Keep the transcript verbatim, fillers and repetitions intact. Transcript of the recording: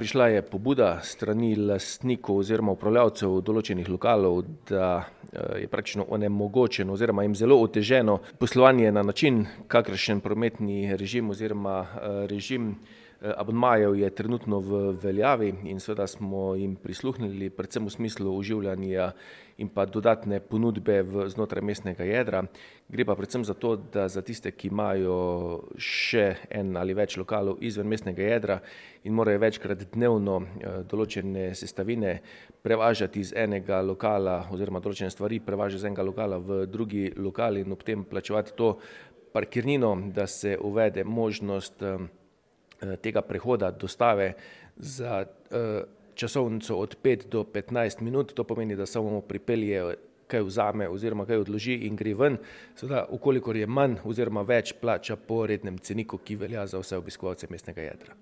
Prišla je pobuda strani lastnikov oziroma upravljavcev določenih lokalov, da je praktično onemogočeno oziroma jim zelo oteženo poslovanje na način, kakršen prometni režim oziroma režim abonmajev je trenutno v veljavi, in seveda smo jim prisluhnili predvsem v smislu oživljanja in pa dodatne ponudbe v znotraj mestnega jedra. Gre pa predvsem za to, da za tiste, ki imajo še en ali več lokalov izven mestnega jedra in morajo večkrat dnevno določene sestavine prevažati iz enega lokala oziroma določene stvari prevažati iz enega lokala v drugi lokal in ob tem plačevati to parkirnino, da se uvede možnost tega prehoda dostave za časovnico od pet do petnajst minut. To pomeni, da samo pripelje, kaj vzame oziroma kaj odloži in gre ven. Seveda, v kolikor je manj oziroma več, plača po rednem ceniku, ki velja za vse obiskovalce mestnega jedra.